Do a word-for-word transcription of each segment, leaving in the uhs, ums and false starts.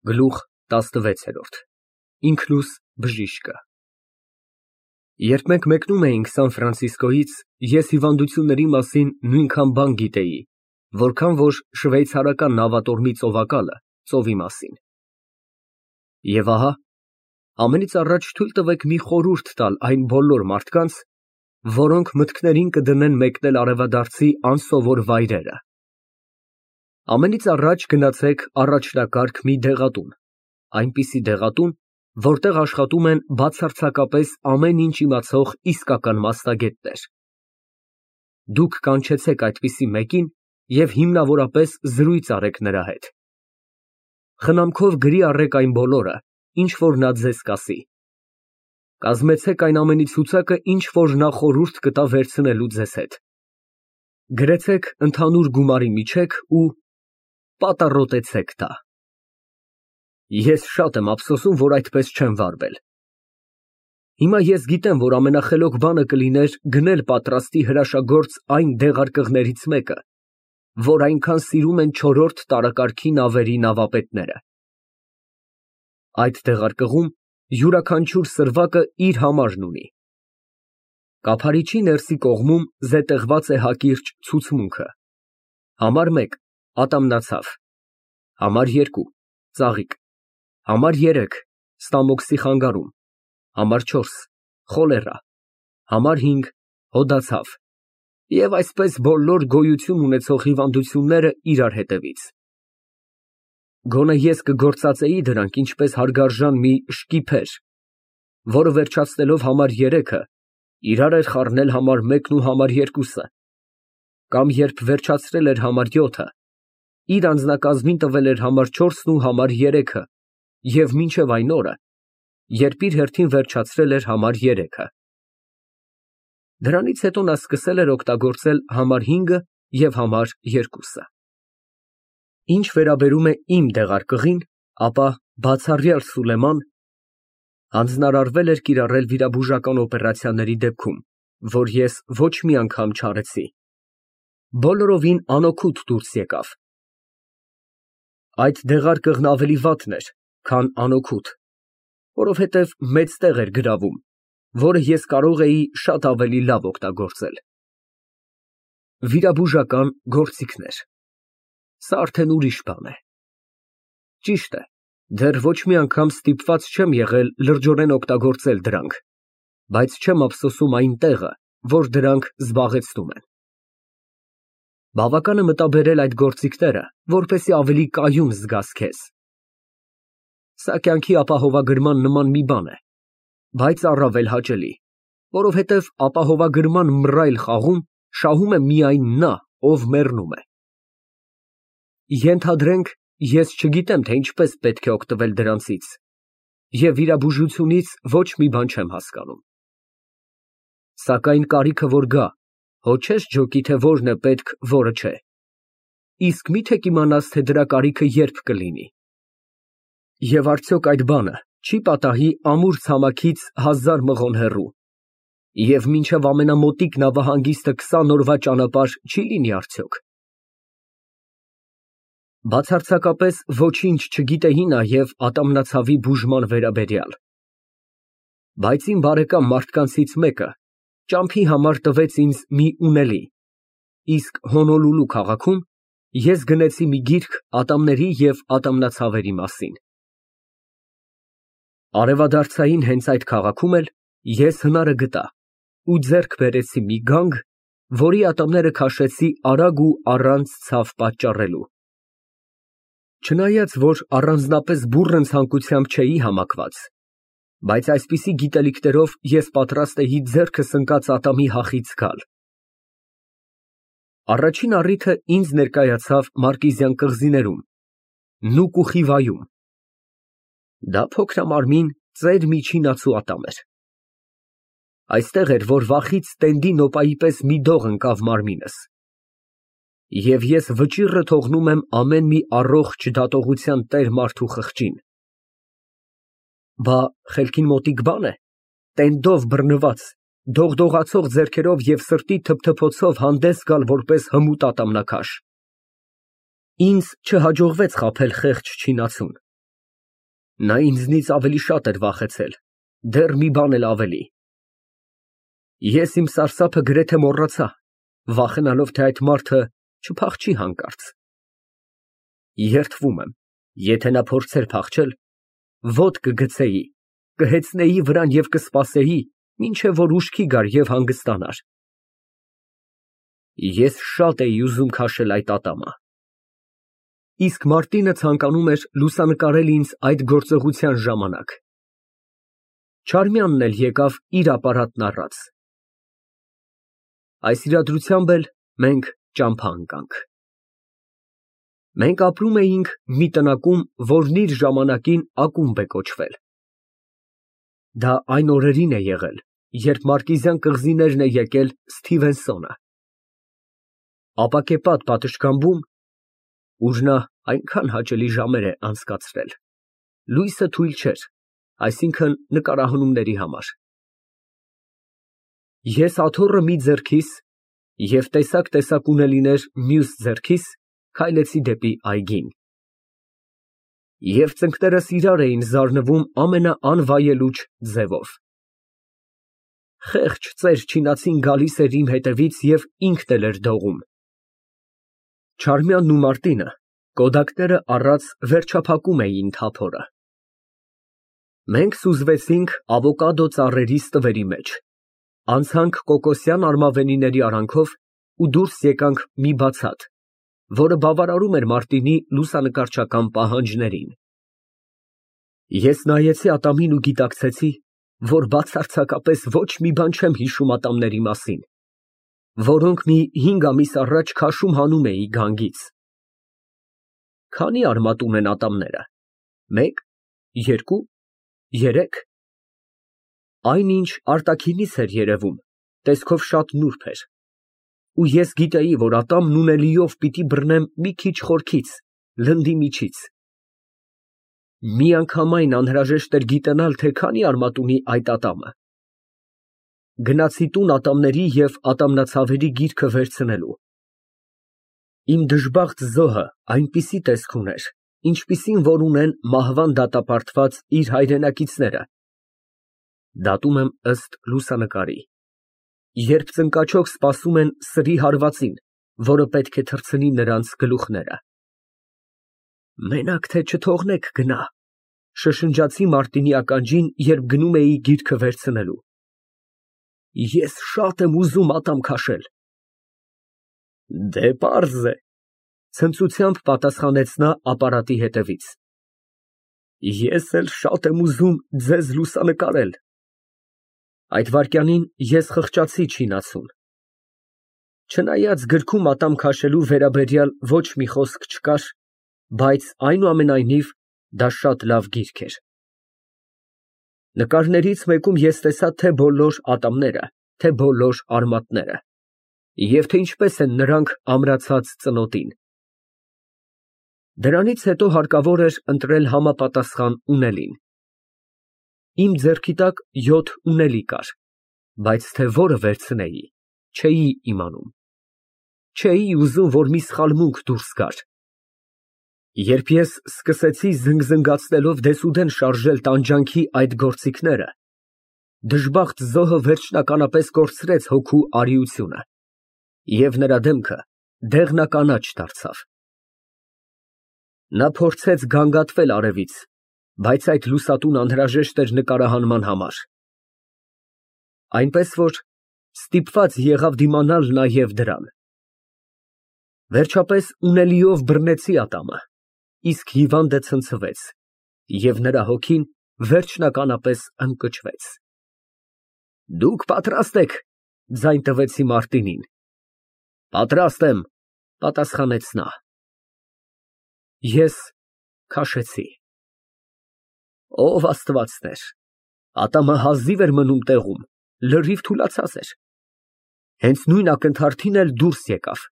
Գլուխ տասնվեց։ Ինքնուս բժիշկը Երբ մենք մեկնում էինք Սան Ֆրանցիսկոյից, ես հիվանդությունների մասին նույնքան բան գիտեի, որքան որ շվեյցարական նավատորմի ծովակալը ծովի մասին։ Եվ ահա, ամենից առաջ թույլ տվեք մի խորհուրդ տալ այն բոլոր մարդկանց, որոնք մտքներին կդնեն մեկնել արևադարձի անսովոր վայրերը։ Ամենից առաջ գնացեք առաջնակարգ մի դեղատուն, այնպիսի դեղատուն, որտեղ աշխատում են բացարձակապես ամեն ինչ իմացող իսկական մասնագետներ։ Դուք կանչեցեք այդպիսի մեկին և հիմնավորապես զրույց արեք նրա հետ։ Խնամքով գրի առեք այն բոլորը, ինչ որ նա ձեզ կասի։ Կազմեցեք այն ամենի ցուցակը, ինչ որ նա խորհուրդ կտա վերցնելու ձեզ հետ։ Գրեցեք ընդհանուր գումարի միջեք ու պատառոտեցեք դա։ Ես շատ եմ ափսոսում, որ այդպես չեմ վարվել։ Հիմա ես գիտեմ, որ ամենախելոք բանը կլիներ գնել պատրաստի հրաշագործ այն դեղարկղներից մեկը, որ այնքան սիրում են չորրորդ տարեկարգի նավերի նավապետները։ Այդ դեղարկղում յուրաքանչյուր սրվակը իր համարն ունի։ Կափարիչի ներսի կողմում զետեղված է հակիրճ ցուցմունքը։ Համար մեկ ատամնացավ, համար երկու ծաղիկ, համար երեք ստամոքսի խանգարում, համար չորս խոլերա, համար հինգ հոդացավ և այսպես բոլոր գոյություն ունեցող հիվանդությունները իրար հետևից։ Գոնե ես կգործածեի դրանք ինչպես հարգարժան մի շկիփեր, որը վերջացնելով համար երեքը իրար էր խառնել համար մեկն ու համար երկուսը, կամ երբ վերջացրել էր համար յոթը, իր անձնակազմին տվել էր համար չորսն ու համար երեքը և մինչև այն օրը, երբ իր հերթին վերջացրել էր համար երեքը։ Դրանից հետո նա սկսել էր օգտագործել համար հինգը և համար երկուսը։ Ինչ վերաբերում է իմ դեղարկղին, ապա բացառյալ Սուլեման հանձնարարվել էր կիրառել վիրաբուժական օպերացիաների դեպքում, որ ես ոչ մի անգամ չարեցի, բոլորովին անօգուտ դուրս եկավ։ Այդ դեղարկղն ավելի վատն էր, քան անօգուտ, որովհետև մեծ տեղ էր գրավում, որը ես կարող էի շատ ավելի լավ օգտագործել։ Վիրաբուժական գործիքներ։ Սա արդեն ուրիշ բան է։ Ճիշտ է, դեռ ոչ մի անգամ ստիպված չեմ եղել լրջորեն օգտագործել դրանք, բայց չեմ ափսոսում այն տեղը, որ դրանք զբաղեցնում են։ Բավական է մտաբերել այդ գործիքները, որպեսզի ավելի կայուն զգաս քեզ։ Սա կյանքի ապահովագրման նման մի բան է, բայց առավել հաճելի, որովհետև ապահովագրման մռայլ խաղում շահում է միայն նա, ով մեռնում է։ Ենթադրենք, ես չգիտեմ, թե ինչպես պետք է օգտվել դրանցից և վիրաբուժությունից ոչ մի բան չեմ հասկանում։ Սակայն կարիքը որ գա, հո չես ջոկի, թե որն է պետք, որը չէ։ Իսկ մի՞թե կիմանաս, թե դրա կարիքը երբ կլինի։ Եվ արդյոք այդ բանը չի պատահի ամուր ցամաքից հազար մղոն հեռու, և մինչև ամենամոտիկ նավահանգիստը քսան օրվա ճանապարհ չի լինի արդյոք։ Բացարձակապես ոչինչ չգիտեի նաև ատամնացավի բուժման վերաբերյալ։ Բայց իմ բարեկամ մարդկանցից մեկը ճամփի համար տվեց ինձ մի ունելի, իսկ Հոնոլուլու քաղաքում ես գնեցի մի գիրք ատամների և ատամնացավերի մասին։ Արևադարձային հենց այդ քաղաքում էլ ես հնարը գտա ու ձեռք բերեցի մի գանգ, որի ատամները քաշեցի արագ ու առանց ցավ պատճառելու։ Չնայած որ առանձնապես բուռն ցանկությամբ չէի համակված, բայց այսպիսի գիտելիքներով ես պատրաստ էի ձեռքս ընկած ատամի հախից գալ։ Առաջին առիթը ինձ ներկայացավ Մարկիզյան կղզիներում, Նուկ ու Խիվայում։ Դա փոքրամարմին, ծեր միջինացու ատամ էր։ Այստեղ էր, որ վախից տենդի նոպայի պես մի դող ընկավ մարմինս, և ես վճիռը թողնում եմ ամեն մի առողջ դատողության տեր մարդու խղճին։ Բա խելքին մոտիկ բան է, տենդով բռնված, դողդողացող ձեռքերով և սրտի թփթփոցով հանդես գալ որպես հմուտ ատամնաքաշ։ Ինձ չհաջողվեց խաբել խեղճ չինացուն, Նա ինձնից ավելի շատ էր վախեցել, դեռ մի բան էլ ավելի։ Ես իմ սարսափը գրեթե մոռացա, վախենալով, թե այդ մարդը չփախչի հանկարծ։ Երդվում եմ, եթե նա փորձեր փախչել, ոտք կգցեի, կհեծնեի վրան և կսպասեի, մինչև որ ուշքի գար և հանգստանար։ Ես շատ էի ուզում քաշել այդ ատամը։ Իսկ Մարտինը ցանկանում էր լուսանկարել ինձ այդ գործողության ժամանակ։ Չարմյանն էլ եկավ իր ապարատն առած։ Այս իրադրությամբ էլ մենք ճամփա ընկանք։ Մենք ապրում էինք մի տնակում, որն իր ժամանակին ակումբ է կոչվել։ Դա այն օրերին է եղել, երբ Մարկիզյան կղզիներն է եկել Սթիվենսոնը։ Ապակեպատ պատշգամբում, ուր նա այնքան հաճելի ժամեր է անցկացրել, լույսը թույլ չէր, այսինքն նկարահանումների համար։ Ես աթոռը մի ձեռքիս և տեսակ֊տեսակ ունելիներ մյուս ձեռքիս քայլեցի դեպի այգին։ Եվ ծնկներս իրար էին զարնվում ամենաանվայելուչ ձևով։ Խեղճ ծեր չինացին գալիս էր իմ հետևից և ինքն էլ էր դողում։ Չարմյանն ու Մարտինը կոդակները առած վերջափակում էին թափորը։ Մենք սուզվեցինք ավոկադո ծառերի ստվերի մեջ, անցանք կոկոսյան արմավենիների արանքով ու դուրս եկանք մի բացատ, որը բավարարում էր Մարտինի լուսանկարչական պահանջներին։ Ես նայեցի ատամին ու գիտակցեցի, որ բացարձակապես ոչ մի բան չեմ հիշում ատամների մասին, որոնք մի հինգ ամիս առաջ քաշում հանում էի գանգից։ Քանի՞ արմատ ունեն ատամները, մեկ, երկու, երեք։ Այնինչ արտաքինից էր երևում, տեսքով շատ նուրբ էր, ու ես գիտեի, որ ատամն ունելիով պիտի բռնեմ մի քիչ խորքից, լնդի միջից։ Միանգամայն անհրաժեշտ էր գիտենալ, թե քանի արմատ ունի այդ ատամը։ Գնացի տուն ատամների և ատամնացավերի գիրքը վերցնելու։ Իմ դժբախտ զոհը այնպիսի տեսք ուներ, ինչպիսին որ ունեն մահվան դատապարտված իր հայրենակիցները (դատում եմ ըստ լուսանկարի), երբ ծնկաչոք սպասում են սրի հարվածին, որը պետք է թռցնի նրանց գլուխները։ Մենակ թե չթողնեք գնա, շշնջացի Մարտինի ականջին, երբ գնում էի գիրքը վերցնելու։ Ես շատ եմ ուզում ատամ քաշել։ Դե պարզ է, ցնծությամբ պատասխանեց նա ապարատի հետևից։ Ես էլ շատ եմ ուզում ձեզ լուսանկարել։ Այդ վայրկյանին ես խղճացի չինացուն։ Չնայած գրքում ատամ քաշելու վերաբերյալ ոչ մի խոսք չկար, բայց այնուամենայնիվ դա շատ լավ գիրք էր։ Նկարներից մեկում ես տեսա թե բոլոր ատամները, թե բոլոր արմատները, և թե ինչպես են նրանք ամրացած ծնոտին։ Դրանից հետո հարկավոր էր ընտրել համապատասխան ունելին։ Իմ ձեռքի տակ յոթ ունելի կար, բայց թե որը վերցնեի, չէի իմանում։ Չէի ուզում, որ մի սխալմունք դուրս գար։ Երբ ես սկսեցի զնգզնգացնելով դեսուդեն շարժել տանջանքի այդ գործիքները, դժբախտ զոհը վերջնականապես կորցրեց հոգու արիությունը, և նրա դեմքը դեղնականաչ դարձավ։ Նա փորձեց գանգատվել արևից, բայց այդ լուսատուն անհրաժեշտ էր նկարահանման համար, այնպես որ ստիպված եղավ դիմանալ նաև դրան։ Վերջապես ունելիով բռնեցի ատամը, իսկ հիվանդը ցնցվեց, և նրա հոգին վերջնականապես ընկճվեց։ Դուք պատրաստ եք, ձայն տվեցի Մարտինին։ Պատրաստ եմ, պատասխանեց նա։ Ես քաշեցի։ Ով Աստվածներ, ատամը հազիվ էր մնում տեղում, լրիվ թուլացած էր։ Հենց նույն ակնթարթին էլ դուրս եկավ։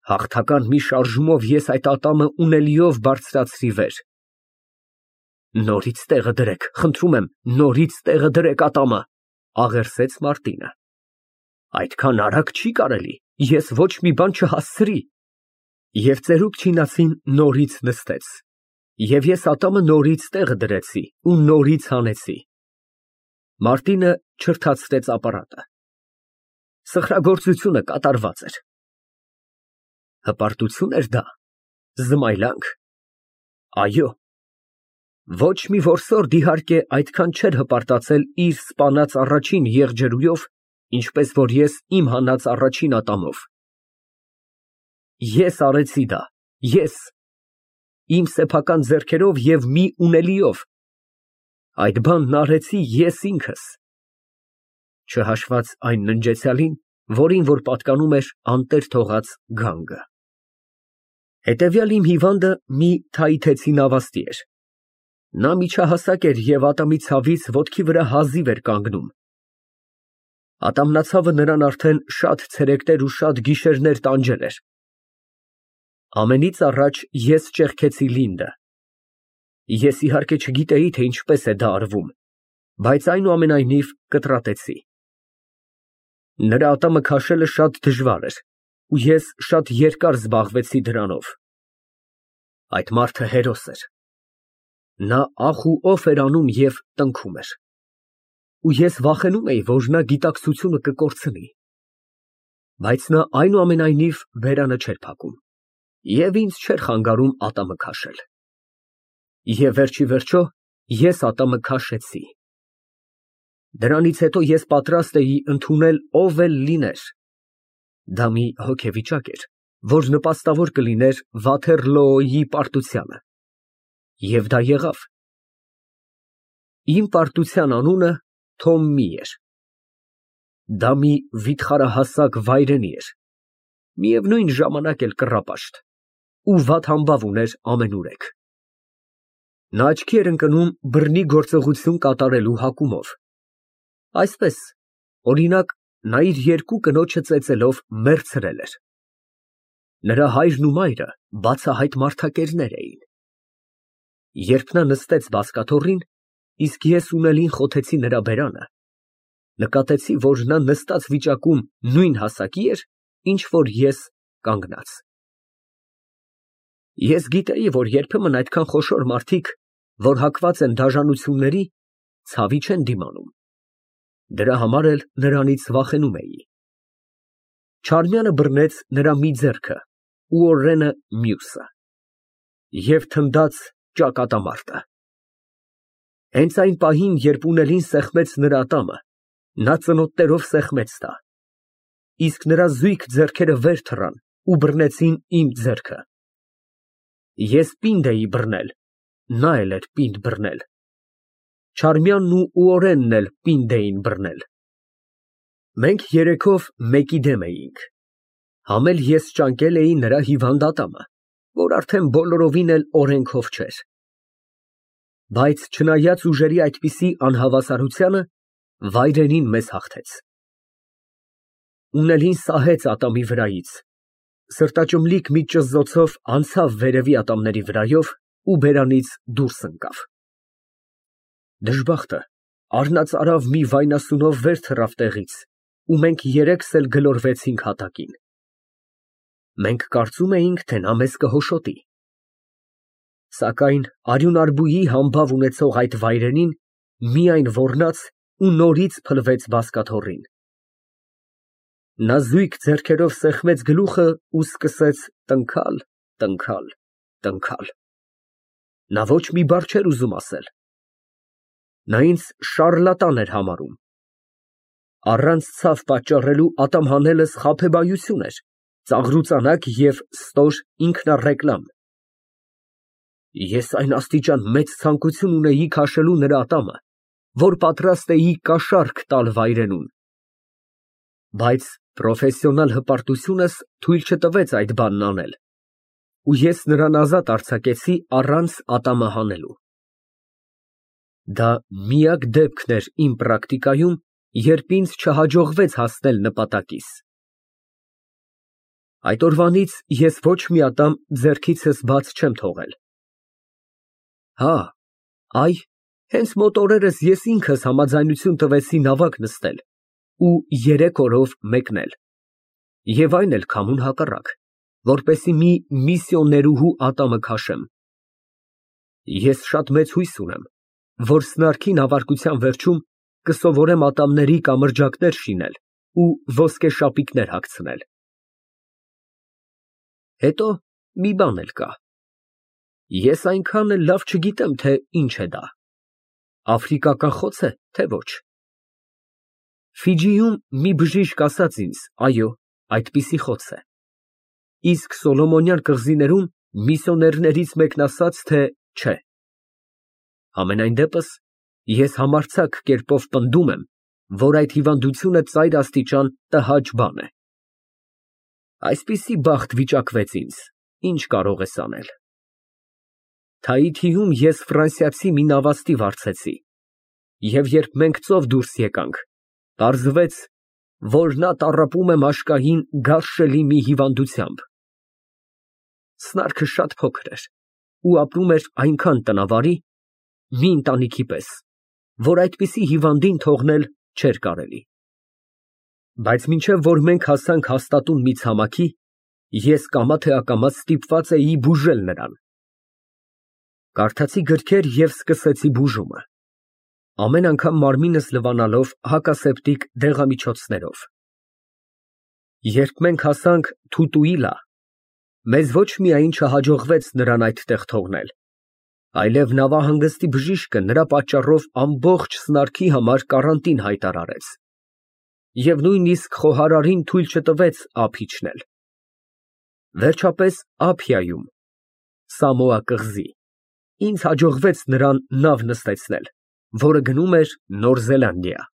Հաղթական մի շարժումով ես այդ ատամը ունելիով բարձրացրի վեր։ Նորից տեղը դրեք, խնդրում եմ, նորից տեղը դրեք ատամը, աղերսեց Մարտինը։ Այդքան արագ չի կարելի, ես ոչ մի բան չհասցրի։ Եվ ծերուկ չինացին նորից նստեց։ Եվ ես ատամը նորից տեղ դրեցի ու նորից հանեցի։ Մարտինը չրթացրեց ապարատը։ Սխրագործությունը կատարված էր։ Հպարտություն էր դա, զմայլանք։ Այո, ոչ մի որսորդ իհարկե այդքան չէր հպարտացել իր սպանած առաջին եղջերուով, ինչպես որ ես իմ հանած առաջին ատամով։ Ես արեցի դա, ես, իմ սեփական ձեռքերով և մի ունելիով, այդ բանն արեցի ես ինքս, չհաշված այն ննջեցյալին, որին որ պատկանում էր անտեր թողած գանգը։ Հետևյալ իմ հիվանդը մի թայիթեցի նավաստի էր։ Նա միջահասակ էր և ատամի ցավից ոտքի վրա հազիվ էր կանգնում։ Ատամնացավը նրան արդեն շատ ցերեկներ ու շատ գիշերներ տանջել էր։ Ամենից առաջ ես ճեղքեցի Լինդը։ Ես իհարկե չգիտեի, թե ինչպես է դա արվում, բայց այնուամենայնիվ կտրատեցի։ Նրա ատամը քաշելը շատ դժվար էր, ու ես շատ երկար զբաղվեցի դրանով։ Այդ մարդը հերոս էր։ Նա ախ ու օֆ էր անում և տնքում էր։ Ու ես վախենում էի, որ նա գիտակցությունը կկորցնի։ Բայց նա այնուամենայնիվ բերանը չէր փակում և ինձ չէր խանգարում ատամը քաշել։ Եվ վերջիվերջո ես ատամը քաշեցի։ Դրանից հետո ես պատրաստ էի ընդունել ով էլ լիներ։ Դա մի հոգեվիճակ էր, որ նպաստավոր կլիներ Վաթերլոոյի պարտությանը։ Եվ դա եղավ։ Իմ պարտության անունը Թոմմի էր։ Դա մի վիթխարահասակ վայրենի էր, միևնույն ժամանակ էլ կռապաշտ, ու վատ համբավ ուներ ամենուրեք։ Նա աչքի էր ընկնում բռնի գործողություն կատարելու հակումով։ Այսպես, օրինակ, նա իր երկու կնոջը ծեծելով մեռցրել էր։ Նրա հայրն ու մայրը բացահայտ մարդակերներ էին։ Երբ նա նստեց բազկաթոռին, իսկ ես ունելին խոթեցի նրա բերանը, նկատեցի, որ նա նստած վիճակում նույն հասակի էր, ինչ որ ես կանգնած։ Ես գիտեի, որ երբեմն այդքան խոշոր մարդիկ, որ հակված են դաժանությունների, ցավի չեն դիմանում։ Դրա համար էլ նրանից վախենում էի։ Չարմյանը բռնեց նրա մի ձեռքը ու Օրենը մյուսը և թնդաց ճակատամարտը։ Հենց այն պահին, երբ ունելին սեղմեց նրա ատամը, նա ծնոտներով սեղմեց դա, իսկ նրա զույգ ձեռքերը վեր թռան ու բռնեցին իմ ձեռքը։ Ես պինդ էի բռնել, նա էլ էր պինդ բռնել։ Չարմյանն ու Օրենն էլ պինդ էին բռնել։ Մենք երեքով մեկի դեմ էինք։ Համ էլ ես ճանկել էի նրա հիվանդ ատամը, որ արդեն բոլորովին էլ օրենքով չէր։ Բայց չնայած ուժերի այդպիսի անհավասարությանը, վայրենին մեզ հաղթեց։ Ունելին սահեց ատամի վրայից, սրտաճմլիկ մի ճզզոցով անցավ վերևի ատամների վրայով ու բերանից դուրս ընկավ։ Դժբախտը առնածարավ մի վայնասունով վեր թռավ տեղից, ու մենք երեքս էլ գլորվեցինք հատակին։ Մենք կարծում էինք, թե նա մեզ կհոշոտի։ Սակայն արյունարբուի համբավ ունեցող այդ վայրենին միայն ոռնաց ու նորից փլվեց բազկաթոռին։ Նա զույգ ձեռքերով սեղմեց գլուխը ու սկսեց տնքալ, տնքալ, տնքալ։ Նա ոչ մի բառ չէր ուզում ասել։ Նա ինձ շառլատան էր համարում։ Առանց ցավ պատճառելու ատամ հանելս խաբեբայություն էր, ծաղրուծանակ և ստոր ինքնառեկլամ։ Ես այն աստիճան մեծ ցանկություն ունեի քաշելու նրա ատամը, որ պատրաստ էի կաշառք տալ վայրենուն։ Բայց պրոֆեսիոնալ հպարտությունս թույլ չտվեց այդ բանն անել, ու ես նրան ազատ արձակեցի առանց ատամը հանելու։ Դա միակ դեպքն էր իմ պրակտիկայում, երբ ինձ չհաջողվեց հասնել նպատակիս։ Այդ օրվանից ես ոչ մի ատամ ձեռքիցս բաց չեմ թողել։ Հա, այ, հենց մոտ օրերս ես ինքս համաձայնություն տվեցի նավակ նստել ու երեք օրով մեկնել, և այն էլ քամուն հակառակ, որպեսզի մի միսիոներուհու ատամը քաշեմ։ Ես շատ մեծ հույս ունեմ, որ սնարքի նավարկության վերջում կսովորեմ ատամների կամրջակներ շինել ու ոսկե շապիկներ հագցնել։ Հետո մի բան էլ կա. ես այնքան էլ լավ չգիտեմ, թե ինչ է դա, աֆրիկական խո՞ց է, թե ոչ։ Ֆիջիում մի բժիշկ ասաց ինձ, այո, այդպիսի խոց է, իսկ Սոլոմոնյան կղզիներում միսիոներներից մեկն ասաց, թե չէ։ Համենայն դեպս, ես համարձակ կերպով պնդում եմ, որ այդ հիվանդությունը ծայր աստիճան տհաճ բան է։ Այսպիսի բախտ վիճակվեց ինձ, ինչ կարող ես անել։ Թայիթիում ես ֆրանսիացի մի նավաստի վարձեցի, և երբ մենք ծով դուրս եկանք, պարզվեց, որ նա տառապում է մաշկային գարշելի մի հիվանդությամբ։ Սնարքը շատ փոքր էր ու ապրում էր այնքան տնավարի, մի ընտանիքի պես, որ այդպիսի հիվանդին թողնել չէր կարելի։ Բայց մինչև որ մենք հասանք հաստատուն մի ցամաքի, ես կամա թե ակամա ստիպված էի բուժել նրան։ Կարդացի գրքեր և սկսեցի բուժումը, ամեն անգամ մարմինս լվանալով հակասեպտիկ դեղամիջոցներով։ Երբ մենք հասանք Թուտուիլա, մեզ ոչ միայն չհաջողվեց նրան այդտեղ թողնել, այլև նավահանգստի բժիշկը նրա պատճառով ամբողջ սնարքի համար կարանտին հայտարարեց և նույնիսկ խոհարարին թույլ չտվեց ափ իջնել։ Վերջապես Ափիայում, Սամոա կղզի, ինձ հաջողվեց նրան նավ նստեցնել, որը գնում էր Նոր Զելանդիա։